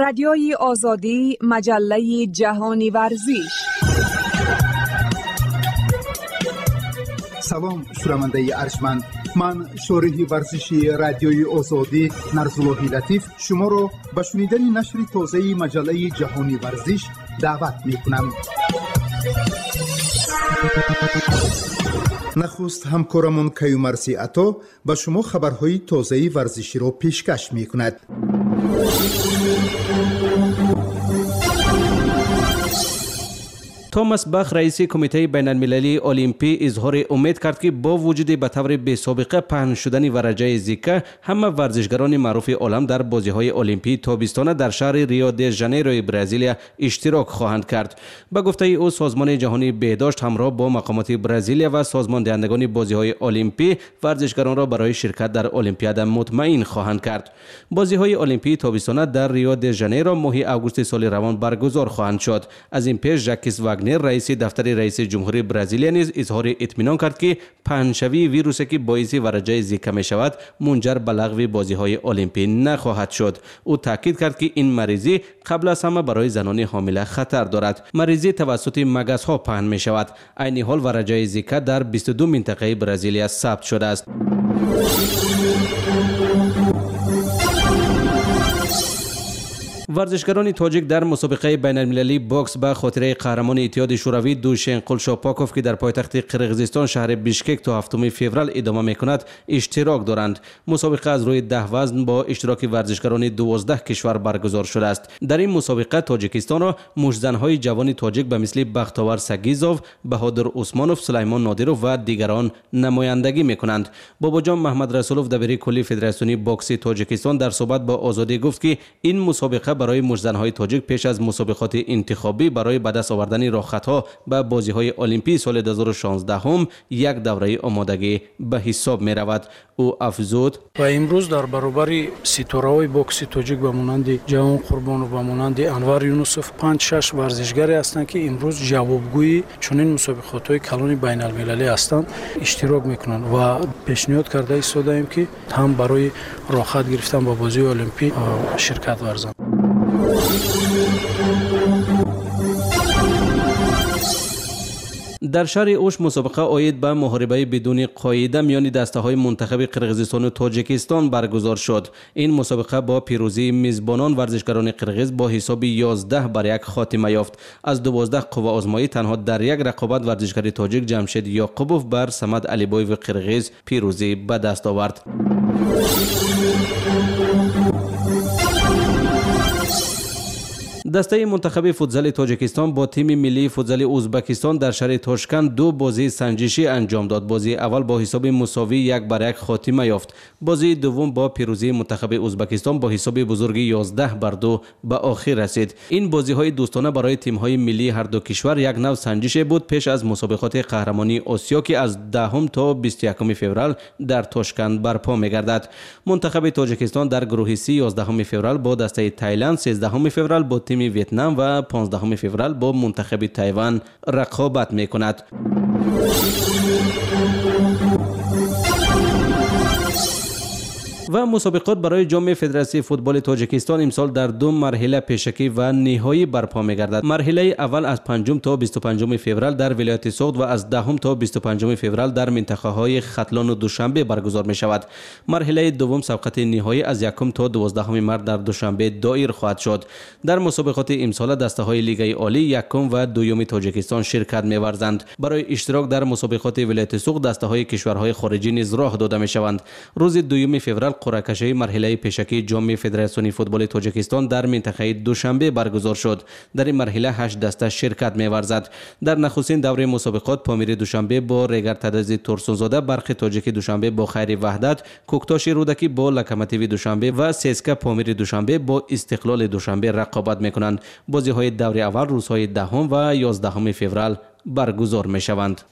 Радиои Озодӣ, маҷаллаи ҷаҳони варзиш. Салом, шунавандаи арҷманд. Ман шориҳи варзиши Радиои Озодӣ Нарзуллоҳи Латиф шуморо ба шунидани нашри тозаи маҷаллаи ҷаҳони варзиш даъват мекунам. Нахуст ҳамкорамон Каюмарси Ато ба шумо хабарҳои тозаи варзиширо пешкаш мекунад. Томас Бах, раиси Кумитаи байналмилалии Олимпӣ, изҳори умед кард, ки бо вуҷуди ба таври бесобиқа паҳн шудани вараҷаи Зика, ҳама варзишгарони маъруфи олам дар бозиҳои олимпии тобистона дар шаҳри Рио де Жанейрои Бразилия иштирок хоҳанд кард. Ба гуфтаи ӯ, Созмони ҷаҳонии беҳдошт ҳамроҳ бо мақомоти Бразилия ва созмондиҳандагони бозиҳои олимпӣ варзишгаронро барои ширкат дар Олимпиада мутмаин хоҳанд кард. Бозиҳои олимпии тобистона дар Рио де Жанейро моҳи августи соли равон баргузор хоҳанд шуд. Аз ин пеш Жакис Вагнер, раиси дафтари раиси ҷумҳурии Бразилия, низ изҳори итминон кард, ки паҳншавии вирусе, ки боиси вараҷаи Зика мешавад, мунҷар ба лағви бозиҳои олимпӣ нахоҳад шуд. Ӯ таъкид кард, ки ин маризӣ қабл аз ҳама барои занони ҳомила хатар дорад. Маризӣ тавассути магасҳо паҳн мешавад. Айни ҳол вараҷаи Зика дар 22 минтақаи Бразилия сабт шудааст. Варзишгарони тоҷик дар мусобиқаи байналмилалии бокс ба хотираи қаҳрамони Иттиҳоди Шӯравӣ Душенқул Шопоков, ки дар пойтахти Қирғизистон шаҳри Бишкек то 7 феврал идома мекунад, иштирок доранд. Мусобиқа аз рӯи 10 вазн бо иштироки варзишгарони 12 кишвар баргузор шудааст. Дар ин мусобиқа Тоҷикистонро муштзанҳои ҷавони тоҷик ба мисли Бахтовар Сагизов, Баҳодур Усмонов, Сулаймон Нодиров ва дигарон намояндагӣ мекунанд. Бобоҷон Маҳмадрасулов, дабири кулли Федератсиони бокси Тоҷикистон, дар суҳбат бо Озодӣ гуфт, ки ин мусобиқа барои муштзанҳои тоҷик пеш аз мусобиқоти интихобӣ барои ба даст овардани роҳхатҳо ба бозиҳои олимпии соли 2016 як давраи омодагӣ ба ҳисоб меравад. Ӯ афзуд: ва имрӯз дар баробари ситораҳои бокси тоҷик ба монанди Ҷавон Қурбонов, ба монанди Анвар Юнусов 5-6 варзишгаре ҳастанд, ки имрӯз ҷавобгӯи чунин мусобиқотҳои калони байналмилалӣ ҳастанд, иштирок мекунанд ва пешниҳод карда истодаем, ки ҳам барои роҳхат гирифтан ба бозиҳои олимпӣ ширкат варзанд. Дар шаҳри Уш мусобиқа оид ба муҳорибаи бидуни қоида миёни дастаҳои мунтахаби Қирғизистону Тоҷикистон баргузор шуд. Ин мусобиқа бо пирӯзии мизбонон, варзишгарони қирғиз, бо ҳисоби 11-1 хотима ёфт. Аз 12 қувваозмоӣ танҳо дар як рақобат варзишгари тоҷик Ҷамшед Ёқубов бар Самад Алибоеви қирғиз пирӯзӣ ба даст овард. Дастаи мунтахаби футзали Тоҷикистон бо тими миллии футзали Узбекистон дар шаҳри Тошканд ду бозии санҷишӣ анҷом дод. Бозии аввал бо ҳисоби мусовӣ 1-1 хотима ёфт. Бозии дуввум бо пирӯзии мунтахаби Узбекистон бо ҳисоби бузурги 11-2 ба охир расид. Ин бозиҳои дӯстона барои тимҳои миллии ҳар ду кишвар як нав санҷише буд пеш аз мусобиқоти қаҳрамонии Осиё, ки аз 10 то 21 феврал дар Тошканд барпо мегардад. Мунтахаби Тоҷикистон дар гурӯҳи Си 11 феврал бо дастаи Тайланд, 13 феврал бо тими Вьетнам ва 15 феврал бо мунтахаби Тайван рақобат мекунад. Ва мусобиқот барои ҷоми Федератсияи футболи Тоҷикистон имсол дар ду марҳила, пешакӣ ва ниҳоӣ, барпо мегардад. Марҳилаи аввал аз 5 то 25 феврал дар вилояти Суғд ва аз 10 то 25 феврал дар минтақаҳои Хатлону Душанбе баргузор мешавад. Марҳилаи дуввум, сабқати ниҳоӣ, аз 1 то 12 март дар Душанбе доир хоҳад шуд. Дар мусобиқоти имсола дастаҳои Лигаи Олӣ якум ва дуюми Тоҷикистон ширкат меварзанд. Барои иштирок дар мусобиқоти вилояти Суғд дастаҳои кишварҳои хориҷӣ низ роҳ дода мешаванд. Рӯзи 2 феврал қуръакашии марҳилаи пешакии ҷоми Федератсиони футболи Тоҷикистон дар минтақаи Душанбе баргузор шуд. Дар ин марҳила 8 даста ширкат меварзад. Дар нахустин давраи мусобиқот Помири Душанбе бо Регар Тадази Турсунзода, Барқи Тоҷики Душанбе бо Хайри Ваҳдат, Кӯктоши Рӯдакӣ бо Локомотиви Душанбе ва ССК Помири Душанбе бо Истиқлоли Душанбе рақобат мекунанд. Бозиҳои даври аввал рӯзҳои 10 ва 11 феврал баргузор мешаванд.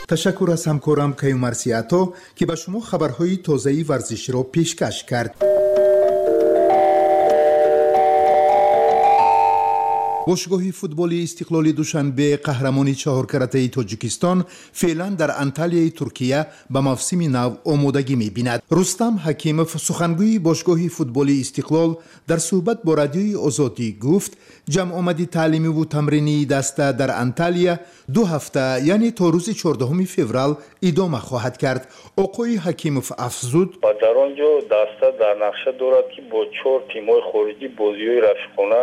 Ташаккур аз ҳамкорам Каюмарси Ато, ки ба шумо хабарҳои тозаи варзиширо пешкаш кард. Бошгоҳи футболи Истиқлоли Душанбе, қаҳрамони чаҳоркаратаи Тоҷикистон, феълан дар Анталияи Туркия ба мавсими нав омодагӣ мебинад. Рустам Ҳакимов, сухангӯи бошгоҳи футболи Истиқлол, дар суҳбат бо Радиои Озодӣ гуфт, ҷамъомади таълимиву тамринии даста дар Анталия 2 ҳафта, яъне то рӯзи 14 феврал идома хоҳад кард. Оқои Ҳакимов афзуд: ва дар он ҷо даста дар нақша дорад, ки бо 4 тимҳои хориҷӣ бозиҳои рафиқона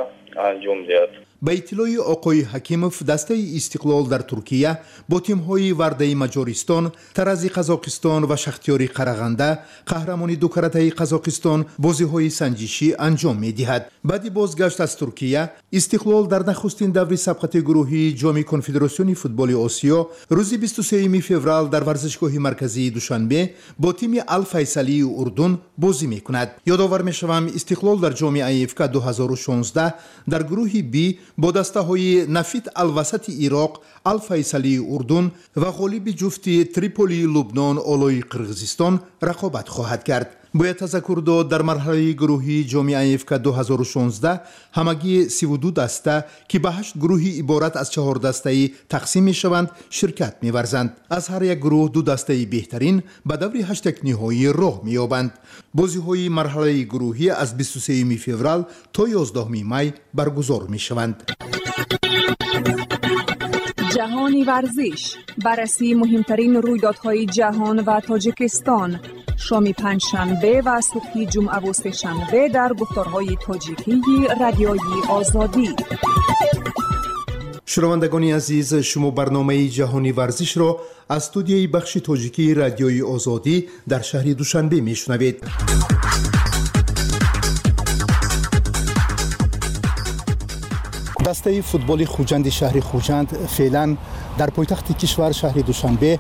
анҷом диҳад. Ба иттилои оқои Ҳакимов, дастаи Истиқлол дар Туркия бо тимҳои Вардаи Маҷористон, Тарази Қазоқистон ва Шахтиёри Қарағанда, қаҳрамони дукаратаи Қазоқистон, бозиҳои санҷишӣ анҷом медиҳад. Баъди бозгашт аз Туркия, Истиқлол дар нахустин даври сабқати гурӯҳии Ҷоми Конфедератсиони футболи Осиё рӯзи 23 феврал дар варзишгоҳи марказии Душанбе бо тими Алфайсалии Урдун бозӣ мекунад. Ёдовар мешавам, Истиқлол дар ҷоми АФК 2016 дар гурӯҳи Б бо дастаҳои Нафит Алвасати Ироқ, Алфайсалии Урдун ва ғолиби ҷуфти Триполии Лубнон Олои Қирғизистон рақобат хоҳад кард. Бояд тазаккур дод, дар марҳалаи гурӯҳии ҷоми АФК 2016 ҳамагӣ 32 даста, ки ба 8 гурӯҳи иборат аз 4 дастаӣ тақсим мешаванд, ширкат меварзанд. Аз ҳар як гурӯҳ 2 дастаи беҳтарин ба даври ҳаштякниҳоӣ роҳ меёбанд. Бозиҳои марҳалаи гурӯҳӣ аз 23 феврал то 11 май баргузор мешаванд. Ҷаҳони варзиш, баррасии муҳимтарин рӯйдодҳои ҷаҳон ва Тоҷикистон, шоми панҷшанбе ва субҳи ҷумъаву сешанбе дар гуфторҳои тоҷикии Радиои Озодӣ. Шунавандагони азиз, шумо барномаи Ҷаҳони варзишро аз студияи бахши тоҷикии Радиои Озодӣ дар шаҳри Душанбе мешунавед. Дастаи футболи Хуҷанди шаҳри Хуҷанд феълан дар пойтахти кишвар, шаҳри Душанбе,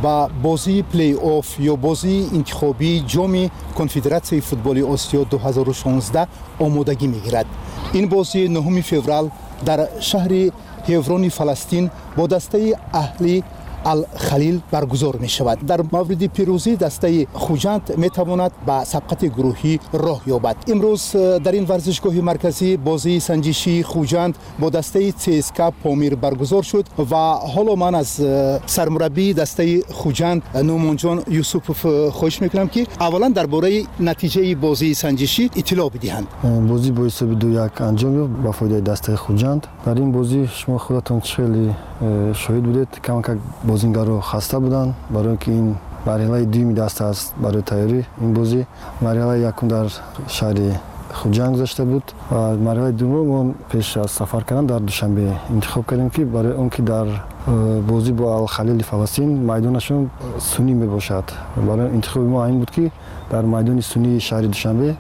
ба бозии плей-офф ё бозии интихобии Ҷоми Конфедератсияи футболи Осиё 2016 омодагӣ мегирад. Ин бозӣ 9 феврал дар шаҳри Ҳеврони Фаластин бо дастаи Аҳли Алхалил баргузор мешавад. Дар мавриди пирӯзӣ дастаи Хуҷанд метавонад ба сабқати гурӯҳӣ роҳ ёбад. Имрӯз дар ин варзишгоҳи марказӣ бозии санҷишии Хуҷанд бо дастаи ЦСКА Помир баргузор шуд ва ҳоло ман аз сармураббии дастаи Хуҷанд Нумонҷон Юсупов хоҳиш мекунам, ки аввалан дар бораи натиҷаи бозии санҷишӣ иттилоъ бидиҳанд. Бозӣ бо ҳисоби 2-1 анҷом ёфт ба фоидаи дастаи Хуҷанд. Дар ин бозӣ шумо худатон хеле шоҳид будед, камакак бозингаро хаста буданд, барои ки ин марҳилаи дуюми даста аст барои тайёрӣ ин бозӣ. Марҳилаи якум дар шаҳри Хуҷанд гузашта буд ва марҳилаи дуюмро мо пеш аз сафар кардан дар Душанбе интихоб кардем, ки барои он ки дар бозӣ бо Алхалили Фаластин майдонашон сунӣ мебошад. Барои интихоби мо ин буд, ки дар майдони сунии шаҳри Душанбе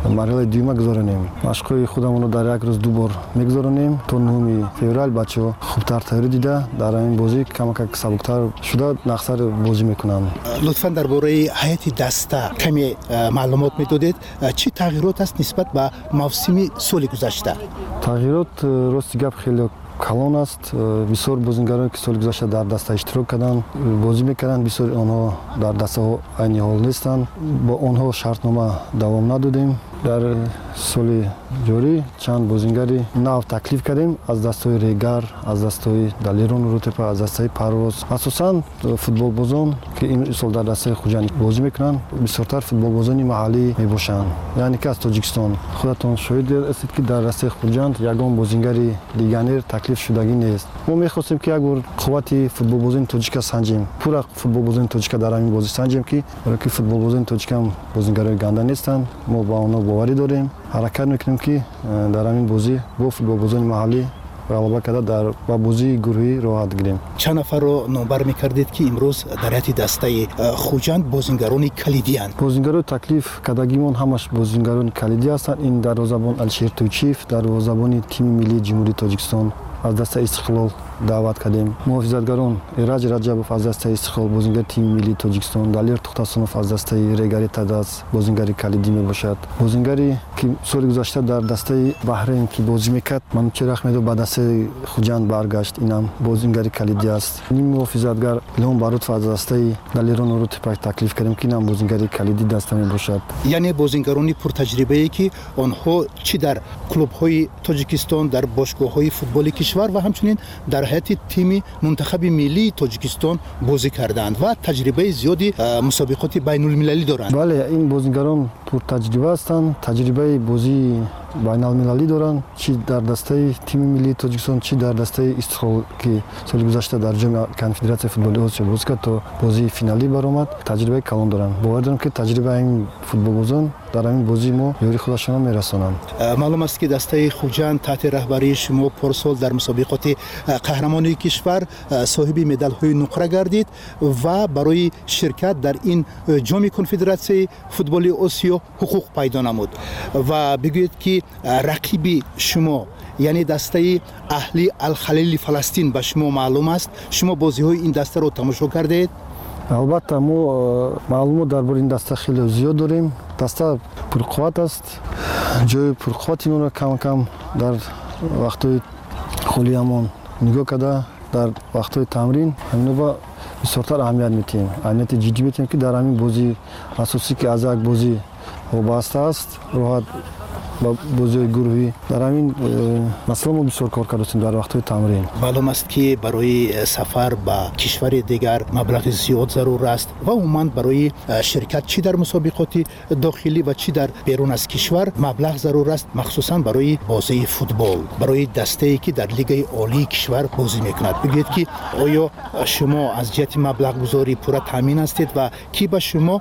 марҳилаи дуюма гузаронем. Машқҳои худамонро дар як рӯз 2 бор мегузаронем. То 9 феврал бачаҳо хубтар тайёрӣ дида, дар ин бозӣ камакак сабуктар шуда нақсар бозӣ мекунанд. Лутфан дар бораи ҳайати даста каме маълумот медодед. Чӣ тағйирот аст нисбат ба мавсими соли гузашта? Тағйирот, рости гап, хеле калон аст. Бисёр бозингароне, ки соли гузашта дар даста иштирок карданд, бозӣ мекарданд, бисёри онҳо дар дастаҳо айни ҳол нестанд. Бо онҳо шартнома давом надодем. Дар соли ҷорӣ чанд бозингари нав таклиф кардем аз дастҳои Регар, аз дастҳои Далерон Рӯтепа, аз дастаи Парвоз. Асосан футболбозон, ки ин сол дар дастаи Хуҷанд бозӣ мекунанд, бисёртар футболбозони маҳаллӣ мебошанд, яъне ки аз Тоҷикистон. Худатон шоҳид ҳастед, ки дар дастаи Хуҷанд ягон бозингари легионер таклиф шудагӣ нест. Мо мехостем, ки як бор қуввати футболбозони тоҷика санҷем, пурра футболбозони тоҷика дар ҳамин бозӣ санҷем, ки барои ки футболбозони тоҷикам бозингарои ганда нестанд. Мо ба онҳо боварӣ дорем, ҳаракат мекунем, ки дар ҳамин бозӣ бо футболбозони маҳаллӣ ғалаба карда дар ба бозии гурӯҳӣ роҳат гирем. Чанд нафарро номбар мекардед, ки имрӯз дар ҳайати дастаи Хуҷанд бозингарони калидианд? Бозингарои таклиф кардагимон ҳамаш бозингарони калидӣ ҳастанд. Ин дарвозабон Алишер Тӯйчиев, дарвозабони тими миллии Ҷумҳурии Тоҷикистон аз дастаи Истиқлол даъват кардем. Муҳофизатгарон Эраҷ Раҷабов аз дастаи Истиқлол, бозингари тими миллии Тоҷикистон, Далер Тухтасонов аз дастаи Регари Тадаз, бозингари калидӣ мебошад. Бозингаре ки соли гузашта дар дастаи Баҳрейн ки бозӣ мекард, Манучер Ахмедов ба дастаи Хуҷанд баргашт, инам бозингари калидӣ аст. Ним муҳофизатгар Илҳом Барутов аз дастаи Далерон Урутепа таклиф кардем, ки инам бозингари калидӣ даста мебошад. Яъне бозингарони пуртаҷрибае, ки онҳо чӣ дар клубҳои Тоҷикистон, дар бошгоҳҳои футболи кишвар ва ҳамчунин дар ҳайати тими мунтахаби миллии Тоҷикистон бозӣ кардаанд ва таҷрибаи зиёди мусобиқоти байнулмилалӣ доранд. Бале, ин бозингарон пуртаҷриба ҳастанд, таҷрибаи бозии байналмилалӣ доранд, чӣ дар дастаи тими миллии Тоҷикистон, чӣ дар дастаи Истиқлол, ки соли гузашта дар ҷоми Конфедератсияи футболи Осиё бозӣ кард, то бозии финалӣ баромад. Таҷрибаи калон доранд. Бовар дорам, ки таҷрибаи ин футболбозон дар ҳамин бозии мо ёри худашонро мерасонанд. Маълум аст, ки дастаи Хуҷанд таҳти раҳбарии шумо порсол дар мусобиқоти қаҳрамонии кишвар соҳиби медалҳои нуқра гардид ва барои ширкат дар ин ҷоми Конфедератсияи футболи Осиё ҳуқуқ пайдо намуд. Ва бигӯед, ки рақиби шумо, яъне дастаи Аҳли Алхалили Фаластин, ба шумо маълум аст? Шумо бозиҳои ин дастаро тамошо кардаед? Албатта, мо маълумот дар бораи ин даста хеле зиёд дорем. Даста пурқувват аст. Ҷои пурқуввати инонро кам-кам дар вақтҳои холиамон нигоҳ карда, дар вақтҳои тамрин ҳамино бисёртар аҳамият медиҳем, аҳамияти ҷиддӣ медиҳем, ки дар ҳамин бозии асосӣ, ки аз як бозӣ вобаста аст, роҳат ба бозиҳои гурӯҳӣ, дар ҳамин масъала мо бисёр кор кардастем дар вақтҳои тамрин. Маълум аст, ки барои сафар ба кишвари дигар маблағи зиёд зарур аст ва умуман барои ширкат чӣ дар мусобиқоти дохилӣ ва чӣ дар берун аз кишвар маблағ зарур аст, махсусан барои бозии футбол, барои дастае, ки дар лигаи олии кишвар бозӣ мекунад. Бигӯед, ки оё шумо аз ҷиҳати маблағгузорӣ пурра таъмин ҳастед ва кӣ ба шумо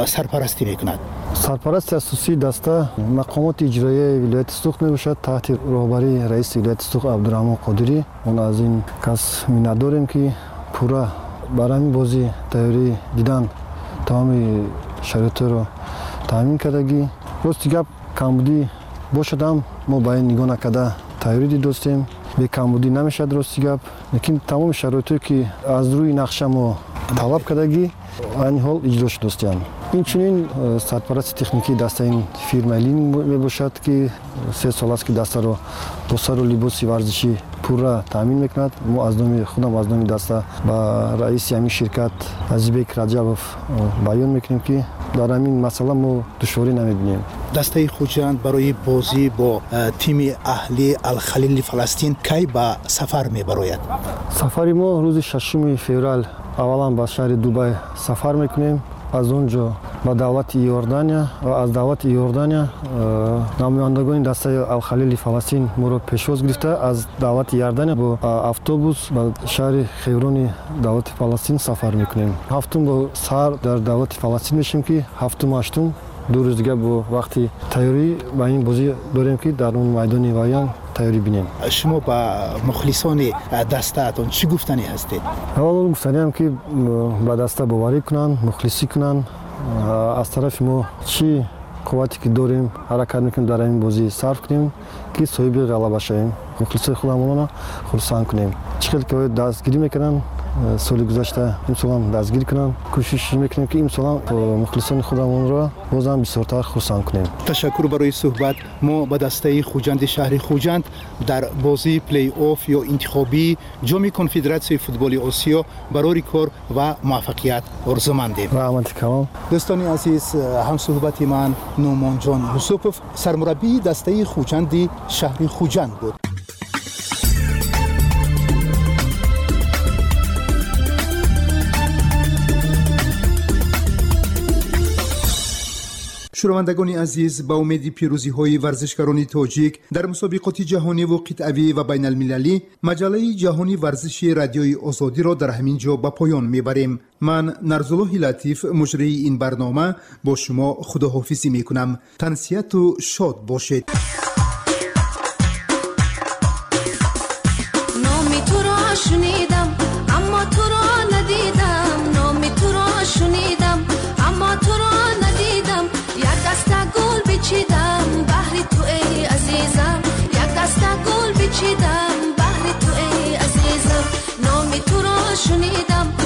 сарпарастӣ мекунад? Сарпарасти асосии даста мақомоти иҷроияи вилояти Суғд мебошад, таҳти роҳбарии раиси вилояти Суғд Абдураҳмон Қодирӣ. Он аз ин кас миннатдорем, ки пурра бар ҳамин бозӣ тайёрӣ дидан тамоми шароитро таъмин кардагӣ. Рости гап, камбудӣ бошадам, мо ба ин нигоҳ накарда тайёрӣ дидостем. Бекамбудӣ намешавад, рости гап, лекин тамоми шароитое, ки аз рӯи нақша мо талаб кардагӣ, айни ҳол иҷро шудостианд. Инчунин сарпарасти техникии дастаи ин фирмаи Лин мебошад, ки 3 сол аст, ки дастаро бо сару либоси варзишӣ пурра таъмин мекунад. Мо аз номи худам, аз номи даста ба раиси ҳамин ширкат Азизбек Раҷабов баён мекунем, ки дар ҳамин масъала мо душворӣ намебинем. Дастаи Хуҷанд барои бозӣ бо тими Аҳли Алхалили Фаластин кай ба сафар мебарояд? Сафари мо рӯзи 6 феврал аввалан ба шаҳри Дубай сафар мекунем, аз он ҷо ба давлати Иордания ва аз давлати Иордания намояндагони дастаи Алхалили Фаластин моро пешвоз гирифта, аз давлати Иордания бо автобус ба шаҳри Хеврони давлати Фаластин сафар мекунем. Ҳафтум бо саҳар дар давлати Фаластин мешем, ки ҳафтум, ҳаштум, 2 рӯз дигар бо вақти тайёрӣ ба ин бозӣ дорем, ки дар он майдони ваян тайёрӣ бинем. Шумо ба мухлисони дастаатон чӣ гуфтанӣ ҳастед? Аввалон гуфтаниам, ки ба даста боварӣ кунанд, мухлисӣ кунанд. Аз тарафи мо чӣ қуввате ки дорем, ҳаракат мекунем, дар ҳамин бозӣ сарф кунем, ки соҳиби ғалаба шавем, мухлисои худамонро хурсанд кунем. Чӣ хел ки дастгирӣ мекунанд соли гузашта, имсолам дастгирӣ кунанд. Кӯшиш мекунем, ки имсолам мухлисони худамонро бозам бисёртар хурсанд кунем. Ташаккур барои суҳбат. Мо ба дастаи Хуҷанди шаҳри Хуҷанд дар бозии плей-офф ё интихобии ҷоми Конфедератсияи футболи Осиё барори кор ва муваффақият орзумандем. Раҳмати калон. Дӯстони азиз, ҳамсуҳбати ман Нуъмонҷон Юсупов, сармураббии дастаи Хуҷанди шаҳри Хуҷанд буд. Шунавандагони азиз, ба умеди пирӯзиҳои варзишгарони тоҷик дар мусобиқоти ҷаҳониву қитъавӣ ва байналмилалӣ, маҷаллаи ҷаҳони варзиши Радиои Озодиро дар ҳамин ҷо ба поён мебарем. Ман, Нарзуллоҳи Латиф, муҷрии ин барнома, бо шумо худоҳофизӣ мекунам. Тансиҳату шод бошед. Номи туро шунидам, аммо туро надидам. Номи туро шунидам, аммо туро надидам. Як даста гул бичидам баҳри ту, эй азизам. Як даста гул бичидам баҳри ту, эй азизам. Шунидам.